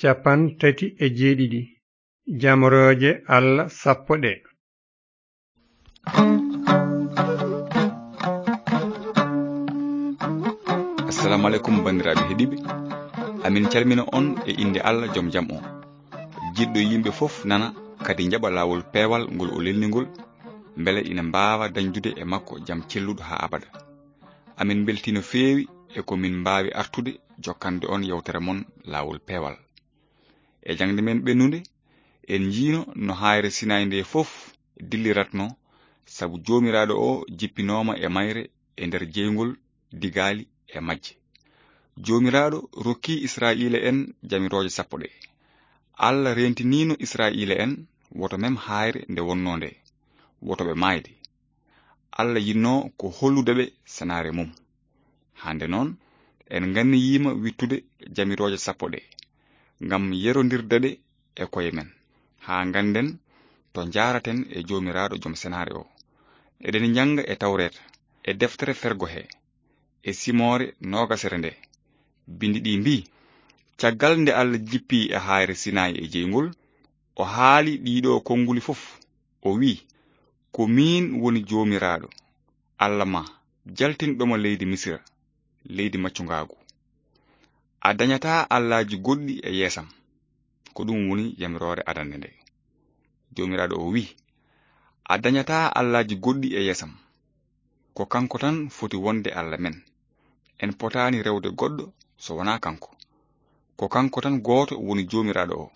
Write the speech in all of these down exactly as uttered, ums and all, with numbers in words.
Cappanɗe tati e jeeɗiɗi. Jamrooje Allah sappo ɗe. Assalamu aleykum, banndiraaɓe heɗiiɓe. Amin calmina on e innde Allah, jom jam o. Jiɗɗo yimɓe fof nana, kadi njaɓa laawol peewal ngol o lelni ngol, mbele ina mbaawa dañdude e makko jam celluɗo haa abada. Amin mbeltii no feewi e ko min mbaawi artude jokkande on yewtere mon laawol peewal. E jaŋde men ɓennunde, en njiino no haayre Sinaay nde fof dilliratno, sabu Joomiraaɗo o jippinooma e mayre e nder jeyngol digaali e majje. Joomiraaɗo rokki Israa'iila en jamirooje sappo ɗe. Allah reentiniino Israa'iila en woto mem haayre nde wonnoo nde, woto ɓe maayde. Allah yinnoo ko hollude ɓe senaare mum. Hannde noon, en nganniyiima wittude jamirooje sappo ɗe, ngam yerondirde ɗe e koye men, haa ngannden to njaaraten e Joomiraaɗo Jom Senaare o. Eɗen njannga e Tawreeta, e deftere Fergo he, e Simoore noogasere nde. Binndi ɗi mbii, caggal nde Allah jippii e haayre Sinaay e jeyngol, o haali ɗiɗo konnguli fof. O wii, ko miin woni Joomiraaɗo, Allah ma, jaltinɗo ma leydi Misira, leydi maccungaagu. A dañataa allaaji goɗɗi e yeesam. Ko ɗum woni yamiroore adannde nde. Joomiraaɗo o wii, a dañataa allaaji goɗɗi e yeesam. Ko kanko tan foti wonde Allah men. En potaani rewde goɗɗo so wonaa kanko. Ko kanko tan gooto woni Joomiraaɗo o.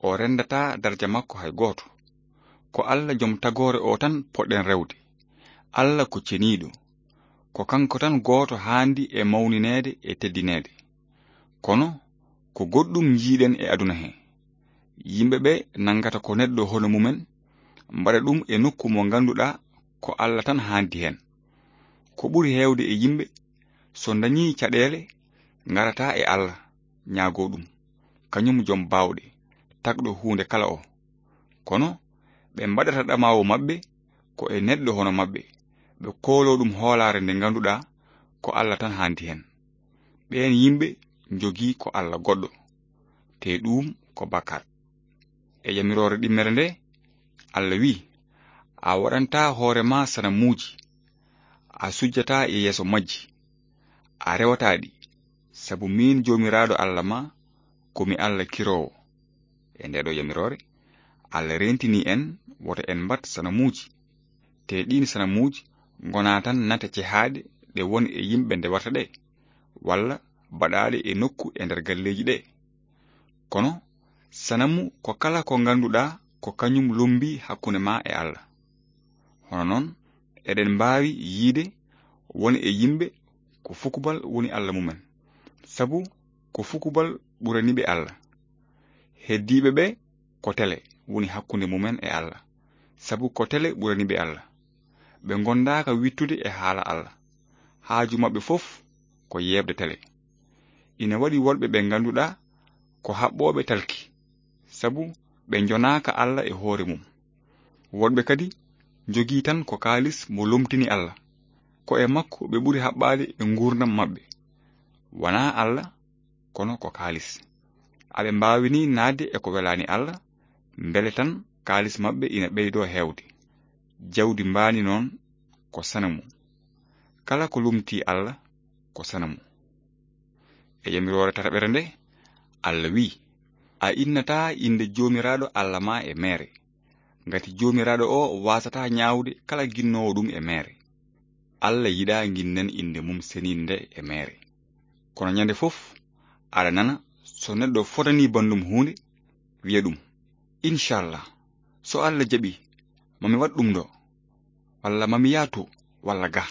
O renndataa darja makko hay gooto. Ko Allah jom tagoore o tan poɗɗen rewde. Allah ko ceniiɗo. Ko kanko tan gooto haandi e mawnineede e teddineede. Kono ko goɗɗum njiiɗen e aduna he. Yimɓe ɓe nanngata ko neɗɗo hono mumen, mbaɗa ɗum e nokku mo ngannduɗaa ko Allah tan haandi heen. Ko ɓuri heewde e yimɓe, so ndañii caɗeele, ngarata e Allah, ñaagoo ɗum, kañum jom baawɗe, tagɗo huunde kala o. Kono ɓe mbaɗata ɗamaawu maɓɓe ko e neɗɗo hono maɓɓe, ɓe kooloo ɗum hoolaare nde ngannduɗaa ko Allah tan haandi heen. Ɓeen yimɓe njogii ko Allah goɗɗo, te ɗuum ko bakkaat. E yamiroore ɗimmere nde, Allah wii, a waɗantaa hoore ma sanamuuji, a sujjataa e yeeso majji, a rewataa ɗi, sabu miin Joomiraaɗo Allah ma, ko mi Allah kiroowo. E ndeeɗo yamiroore, Allah reentinii en woto en mbaɗ sanamuuji, te ɗiin sanamuuji ngonaa tan nate cehaaɗe ɗe won e yimɓe ndewata ɗe, walla baɗaaɗe e nokku e nder galleeji ɗe. Kono sanamu ko kala ko ngannduɗaa ko kañum lombii hakkunde ma e Allah. Hono noon, eɗen mbaawi yiyde won e yimɓe ko fukubal woni Allah mumen, sabu ko fukubal ɓurani ɓe Allah. Heddiiɓe ɓe ko tele woni hakkunde mumen e Allah, sabu ko tele ɓurani ɓe Allah. Ɓe ngondaaka wittude e haala Allah. Haaju maɓɓe fof ko yeeɓde tele. Ina waɗi woɗɓe ɓe ngannduɗaa ko haɓɓooɓe talki, sabu ɓe njonaaka Allah e hoore mum. Woɗɓe kadi njogii tan ko kaalis mo lomtini Allah. Ko e makko ɓe ɓuri haɓɓaade e nguurndam maɓɓe. Wanaa Allah, kono ko kaalis. Aɓe mbaawi ni naatde e ko welaani Allah, mbele tan kaalis maɓɓe ina ɓeydoo heewde. Jawdi mbaandi noon ko sanamu. Kala ko lomtii Allah ko sanamu. E yamiroore tataɓere nde, Allah wii, a innataa innde Joomiraaɗo Allah ma e meere, ngati Joomiraaɗo o waasataa ñaawde kala ginnoowo ɗum e meere. Allah yiɗaa nginnen innde mum seniinde nde e meere. Kono ñande fof, aɗa nana so neɗɗo fotanii banndum huunde, wiya ɗum, inchallah, so Allah jaɓii, mami waɗ ɗum ɗo, walla mami yah to, walla ga.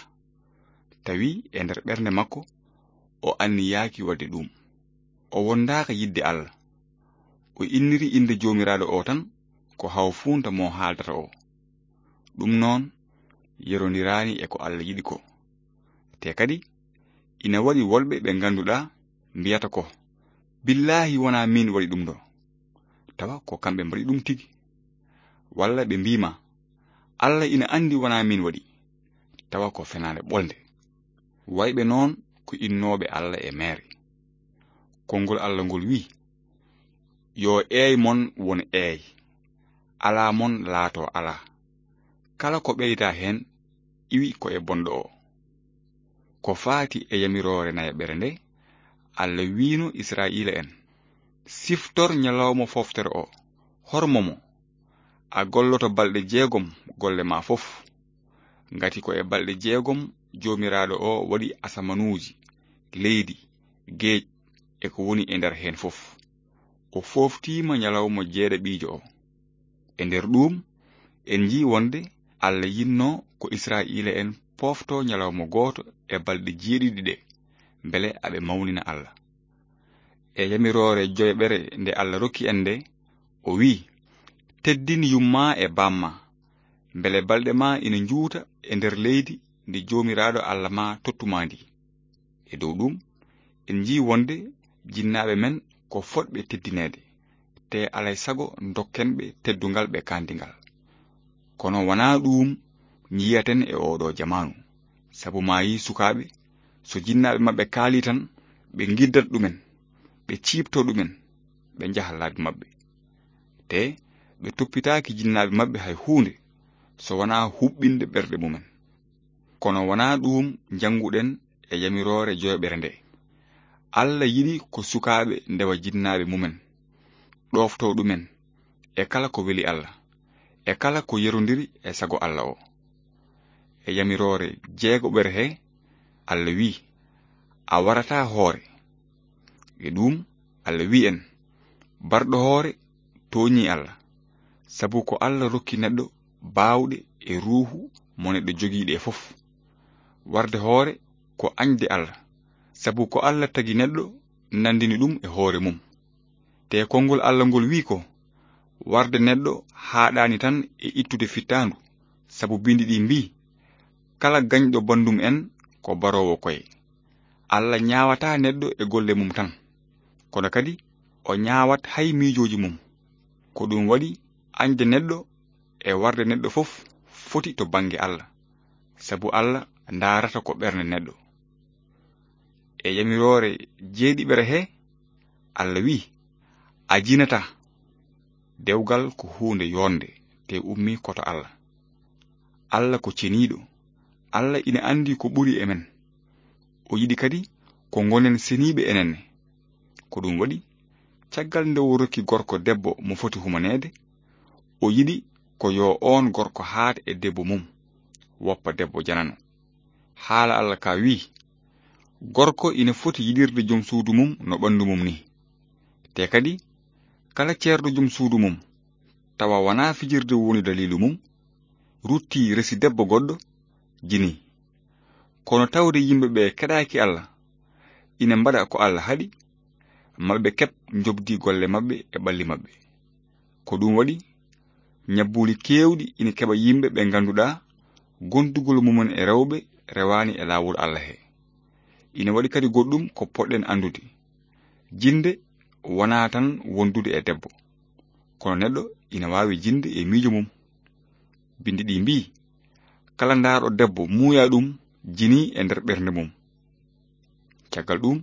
Tawi e nder ɓernde makko, o anniyaaki waɗde ɗum. O wondaaka yiɗde Allah. O inniri innde Joomiraaɗo o tan ko hawfuunta mo haaldata o. Ɗum noon, yerondiraani e ko Allah yiɗi ko. Te kadi, ina waɗi woɗɓe ɓe ngannduɗaa mbiyata ko, billaahi wonaa miin waɗi ɗum ɗo. Tawa ko kamɓe mbaɗi ɗum tigi. Walla ɓe mbii ma, Allah ina anndi wonaa miin waɗi. Tawa ko fenaande ɓolnde. Wayɓe noon ko innooɓe Allah e meere. Konngol Allah ngol wii, Yo eey mon won eey, alaa mon laato alaa. Kala ko ɓeydaa heen, iwi ko e bonɗo o. Ko faati e yamiroore nayaɓere nde, Alla wiino Israa'iila en: "Siftor ñalawma fooftere o, hormo mo. A golloto balɗe jeegom golle ma fof. Ngati ko e balɗe jeegom Joomiraaɗo o waɗi asamanuuji, leydi, geej, e ko woni e nder heen fof. O fooftiima ñalawma jeeɗaɓiijo o." E nder ɗuum, en njii wonde Alla yinnoo ko Israa'iila en pooftoo ñalawma gooto e balɗe jeeɗiɗi ɗe, mbele aɓe mawnina Alla. E yamiroore joyaɓere nde Alla rokki en nde, o wi'i: "Teddin yumma e bamma, mbele balɗe ma ina njuuta e nder leydi ndi Joomiraaɗo Alla ma tottu ma ndi." E dow ɗum, en njii wonde jinnaaɓe men ko fotɓe teddineede, te alay sago dokken ɓe teddungal ɓe kaandi ngal. Kono wonaa ɗuum njiyaten e ooɗoo jamaanu, sabu maayi sukaaɓe, so jinnaaɓe maɓɓe kaalii tan, ɓe ngiddat ɗumen, ɓe ciiptoo ɗumen, ɓe njaha laabi maɓɓe. Te ɓe toppitaaki jinnaaɓe maɓɓe hay huunde, so wonaa huɓɓinde ɓerɗe mumen. Kono wonaa ɗuum njannguɗen e yamiroore joyaɓere nde. Alla yiɗi ko sukaaɓe ndewa jinnaaɓe mumen, ɗooftoo ɗumen e kala ko weli Alla, e kala ko yerondiri e sago Alla o. E yamiroore jeegoɓere he, Alla wi'i: "A warataa hoore." E ɗuum, Alla wi'i en: "Barɗo hoore tooñii Alla, sabu ko Alla rokki neɗɗo baawɗe e ruuhu mo neɗɗo jogii ɗe fof. Warde hoore ko añde Alla, sabu ko Alla tagi neɗɗo, nanndini ɗum e hoore mum." Te konngol Alla ngol wi'i ko: "Warde neɗɗo haaɗaani tan e ittude fittaandu, sabu binndi ɗi mbi'i: 'Kala gañɗo banndum en ko baroowo koye.'" Alla ñaawataa neɗɗo e golle mum tan, kono kadi o ñaawat hay miijooji mum. Ko ɗum waɗi, añde neɗɗo e warde neɗɗo fof foti to bannge Alla, sabu Alla ndaarata ko ɓernde neɗɗo. E yamiroore jeeɗiɓere he, Alla wi'i: "A jinataa." Dewgal ko huunde yoornde, te ummii koto Alla. Alla ko ceniiɗo. Alla ina anndi ko ɓuri e men. O yiɗi kadi ko ngonen seniiɓe enen ne. Ko ɗum waɗi, caggal nde o rokki gorko debbo mo foti humaneede, o yiɗi ko yo oon gorko haat e debbo mum, woppa debbo janano. Haala Alla ka wi'i: "Gorko ina foti yiɗirde jom suudu mum no ɓanndu mum ni." Te kadi, kala ceerɗo jom suudu mum, tawa wonaa fijirde woni daliilu mum, ruttii resi debbo goɗɗo, jinii. Kono tawde yimɓe ɓe keɗaaki Alla, ina mbaɗa ko Alla haɗi, maɓe keɓ njoɓdi golle maɓɓe e ɓalli maɓɓe. Ko ɗum waɗi, ñabbuuli keewɗi ina keɓa yimɓe ɓe ngannduɗaa gondugol mumen e rewɓe rewaani e laawol Alla he. Ina waɗi kadi goɗɗum ko poɗɗen anndude. Jinde wonaa tan wondude e debbo, kono neɗɗo ina waawi jinde e miijo mum. Binndi ɗi mbi'i: "Kala ndaarɗo debbo muuya ɗum, jinii e nder ɓernde mum." Caggal ɗum,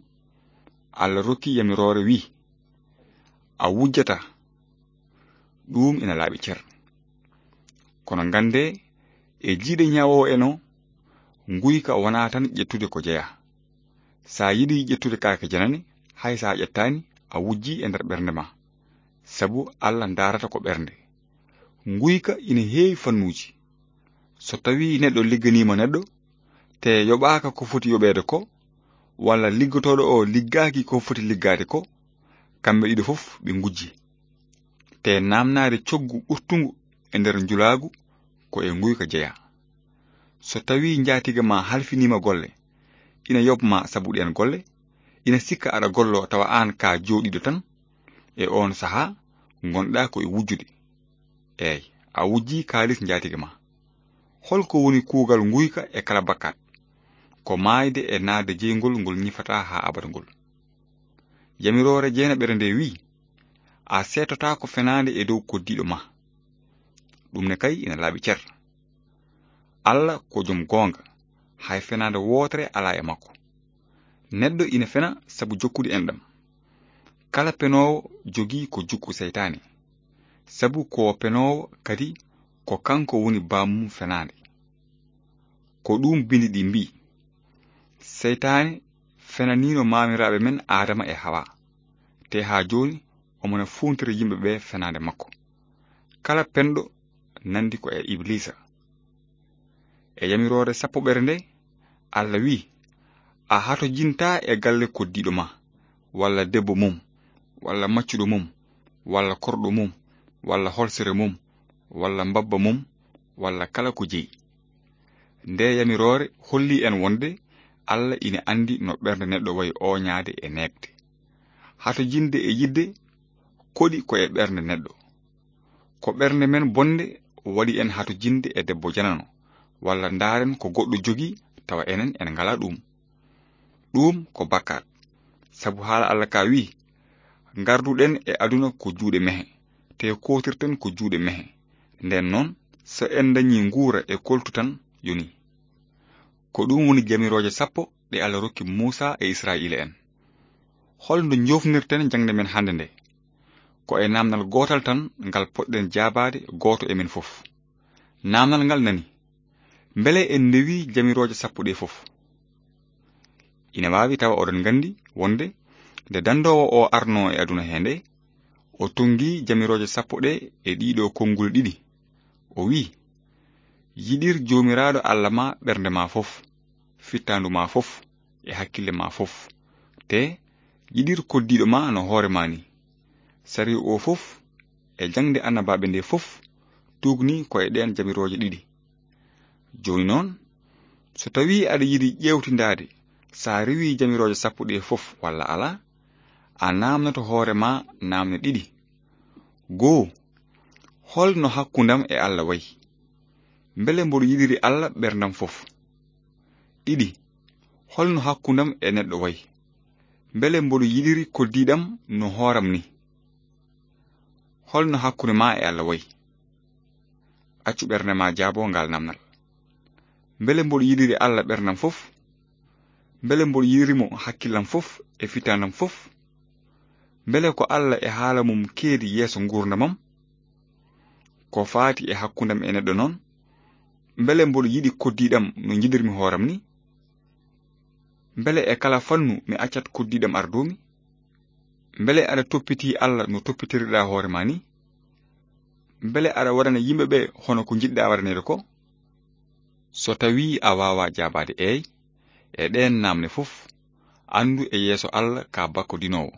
Alla rokki yamiroore wi'i: "A wujjataa." Ɗum ina laaɓi cer. Kono nganndee, e jiiɗe ñaawoowo en o, nguyka wonaa tan ƴettude ko jeyaa. So a yiɗi ƴettude kaake janane, hay so a ƴettaani, a wujjii e nder ɓernde ma, sabu Alla ndaarata ko ɓernde. Nguyka ina heewi fannuuji. So tawii neɗɗo ligganiima neɗɗo, te yoɓaaka ko foti yoɓeede ko, walla liggotooɗo o liggaaki ko foti liggaade ko, kamɓe ɗiɗo fof ɓe ngujji. Te naamnaade coggu ɓurtungu e nder njulaagu ko e nguyka jeyaa. So tawii njaatiga ma halfiniima golle, ina yoɓ ma sabu ɗeen golle, ina sikka aɗa gollo tawa aan ka jooɗiiɗo tan, e oon sahaa ngonɗaa ko e wujjude. Eey, a wujjii kaalis njaatiga ma. Holko woni kuugal nguyka e kala bakkaat? Ko maayde e naatde jeyngol ngol ñifataa haa abada ngol. Yamiroore jeenaɓere nde wi'i: "A seetotaako fenaande e dow koddiiɗo ma." Ɗum ne kay ina laaɓi cer. Alla ko jom goonga, hay fenaande wootere alaa e makko. Neɗɗo ina fena sabu jokkude enɗam. Kala penoowo jogii ko jukku seytaane, sabu ko o penoowo, kadi ko kanko woni bammum fenaande. Ko ɗum bindi ɗi mbii: "Seytaane fenaniino maamiraaɓe men Aadama e Hawa, te haa jooni omo na fuuntira yimɓe ɓe fenaande makko. Kala penɗo nandi ko e Ibliisa." E yamiroore sappoɓere nde, Alla wi'i: "A hatojintaa e galle koddiiɗo ma, walla debbo mum, walla maccuɗo mum, walla korɗo mum, walla holsere mum, walla mbabba mum, walla kala ko jeyi." Nde yamiroore holli en wonde Alla ina anndi no ɓernde neɗɗo wayi ooñaade e neeɓde. Hatojinde e yiɗde koɗi ko e ɓernde neɗɗo. Ko ɓernde men bonde waɗi en hatojinde e debbo janano, walla ndaaren ko goɗɗo jogii tawa enen en ngalaa ɗum. Ɗum ko bakkaat. Sabu haala Alla ka wi'i: "Ngarduɗen e aduna ko juuɗe mehe, te kootirten ko juuɗe mehe. Nden noon, so en ndañi nguura e koltu tan, yoni." Ko ɗum woni jamirooje sappo ɗe Alla rokki Muusa e Israa'iila en. Hol no njoofnirten jaŋde men hannde nde? Ko e naamnal gootal tan ngal poɗɗen jaabaade gooto e men fof. Naamnal ngal nani: "Mbele en ndewi jamirooje sappo ɗe fof?" Ina waawi tawa oɗon nganndi wonde nde danndoowo o arnoo e aduna he nde, o tonngi jamirooje sappo ɗe e ɗiɗo konnguli ɗiɗi. O wi'i: "Yiɗir Joomiraaɗo Alla ma ɓernde ma fof, fittaandu ma fof, e hakkille ma fof, te yiɗir koddiiɗo ma no hoore ma ni." Sariya o fof e jaŋde annabaaɓe nde fof tuugni ko e ɗeen jamirooje ɗiɗi. Jooni noon, so tawii aɗa yiɗi ƴeewtindaade so a rewii jamirooje sappo ɗe fof walla alaa, a naamnoto hoore ma naamne ɗiɗi. Goo, hol no hakkundam e Alla wayi? Mbele mboɗo yiɗiri Alla ɓerndam fof? Ɗiɗi, hol no hakkundam e neɗɗo wayi? Mbele mboɗo yiɗiri koddiiɗam no hooram ni? Hol no hakkunde ma e Alla wayi? Accu ɓernde ma jaabo ngal namnal. Mbele mboɗo yiɗiri Alla ɓerndam fof? Mbele mboɗo yiɗiri mo hakkillam fof e fitaandam fof? Mbele ko Alla e haala mum keedi yeeso nguurndamam? Ko faati e hakkundam e neɗɗo noon, mbele mboɗo yiɗi koddiiɗam no njiɗirmi hooram ni? Mbele e kala fannu mi accat koddiiɗam ardoomi? Mbele aɗa toppitii Alla no toppitirɗaa hoore ma ni? Mbele aɗa waɗana yimɓe ɓe hono ko njiɗɗaa waɗaneede ko? So tawii a waawaa jaabaade eey e ɗeen naamne fof, anndu e yeeso Alla ka bakkodinoowo,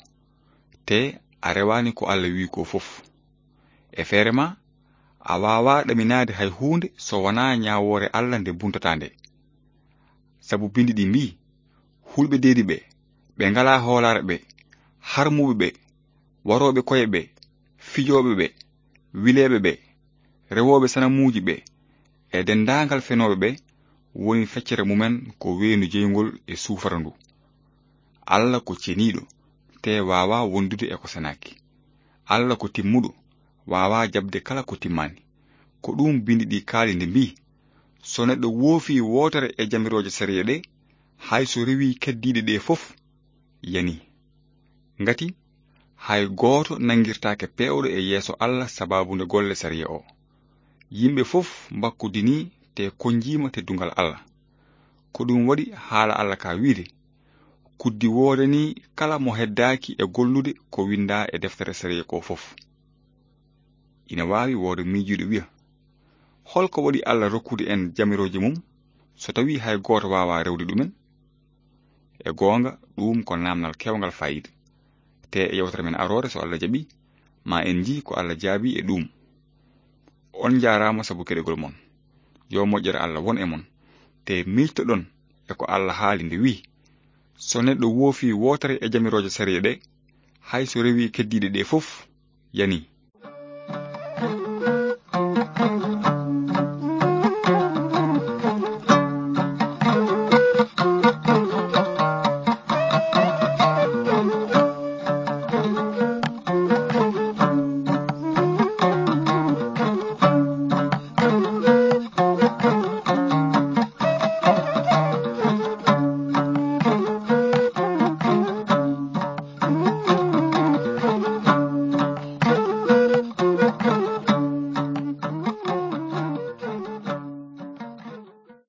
te a rewaani ko Alla wi'i ko fof. E feere ma, a waawaa ɗaminaade hay huunde so wonaa ñaawoore Alla nde buntataa nde. Sabu binndi ɗi mbii: "Hulɓe deedi ɓe, ɓe ngalaa hoolaare ɓe, harmuɓe ɓe, warooɓe koye ɓe, fijooɓe ɓe, wileeɓe ɓe, rewooɓe sanamuuji ɓe, e denndaangal fenooɓe ɓe, woni feccere mumen ko weendu jeyngol e suufara ndu." Alla ko ceniiɗo, te waawaa wondude e ko senaaki. Alla ko timmuɗo, waawaa jaɓde kala ko timmaani. Ko ɗum binndi ɗi kaali nde mbii: "So neɗɗo woofii wootere e jamirooje sariya ɗe, hay so rewii keddiiɗe ɗe fof, yanii." Ngati hay gooto nanngirtaake peewɗo e yeeso Alla sabaabu nde golle sariya o. Yimɓe fof mbakkodinii te konjiima teddungal Alla. Ko ɗum waɗi haala Alla ka wiide: "Kuddi woodanii kala mo heddaaki e gollude ko winndaa e deftere sariya ko fof." Ina waawi wooda miijiiɗo wiya: "Hol ko waɗi Alla rokkude en jamirooje mum, so tawii hay gooto waawaa rewde ɗumen?" E goonga, ɗum ko naamnal keewngal faayiida. Te e yewtere men aroore, so Alla jaɓi, ma en njii ko Alla jaabi e ɗum. On njaaraama sabu keɗogol mon. Yo moƴƴere Alla won e mon. Te miijtoɗon e ko Alla haali nde wi'i: "So neɗɗo woofii wootere e jamirooje sariya ɗe, hay so rewii keddiiɗe ɗe fof, yanii."